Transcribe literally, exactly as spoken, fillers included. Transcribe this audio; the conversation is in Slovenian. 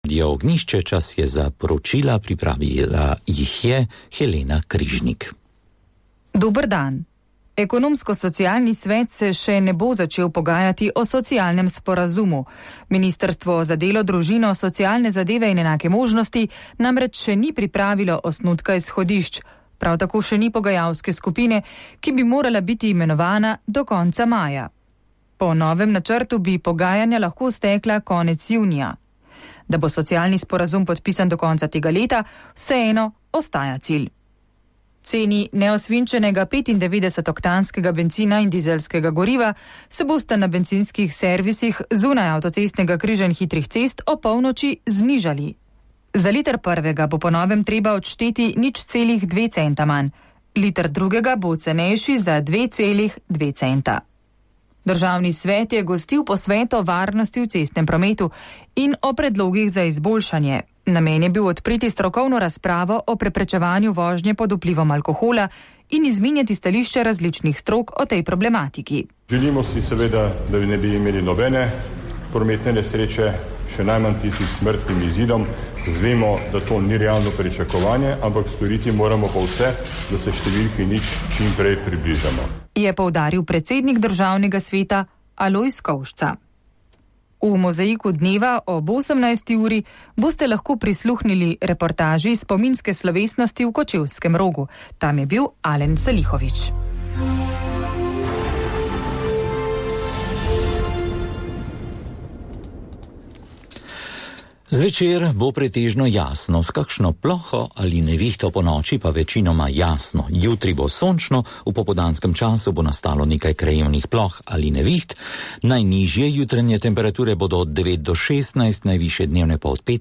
Radio Ognjišče, čas je za poročila, pripravila jih je Helena Križnik. Dober dan. Ekonomsko-socialni svet se še ne bo začel pogajati o socialnem sporazumu. Ministrstvo za delo, družino, socialne zadeve in enake možnosti namreč še ni pripravilo osnutka izhodišč. Prav tako še ni pogajalske skupine, ki bi morala biti imenovana do konca maja. Po novem načrtu bi pogajanja lahko stekla konec junija. Da bo socialni sporazum podpisan do konca tega leta, vseeno ostaja cilj. Ceni neosvinčenega petindevetdesetoktanskega bencina in dizelskega goriva se bosta na bencinskih servisih zunaj avtocestnega križanj hitrih cest o polnoči znižali. Za liter prvega bo po novem treba odšteti nič celih dve centa manj, liter drugega bo cenejši za dve celih dve centa. Državni svet je gostil posvet o varnosti v cestnem prometu in o predlogih za izboljšanje. Namen je bil odpreti strokovno razpravo o preprečevanju vožnje pod vplivom alkohola in izmenjati stališče različnih strok o tej problematiki. Želimo si seveda, da ne bi imeli nobene prometne nesreče, še najmanj tisti s smrtnim izidom. Vemo, da to ni realno pričakovanje, ampak storiti moramo pa vse, da se številki nič čim prej približamo. Je poudaril predsednik državnega sveta Alojz Kovšca. V mozaiku dneva ob osemnajsti uri boste lahko prisluhnili reportaži spominske slovesnosti v Kočevskem Rogu. Tam je bil Alen Salihović. Zvečer bo pretežno jasno, s kakšno ploho ali nevihto po noči pa večinoma jasno. Jutri bo sončno, v popoldanskem času bo nastalo nekaj krajevnih ploh ali neviht. Najnižje jutranje temperature bodo od devet do šestnajst, najvišje dnevne pa od pet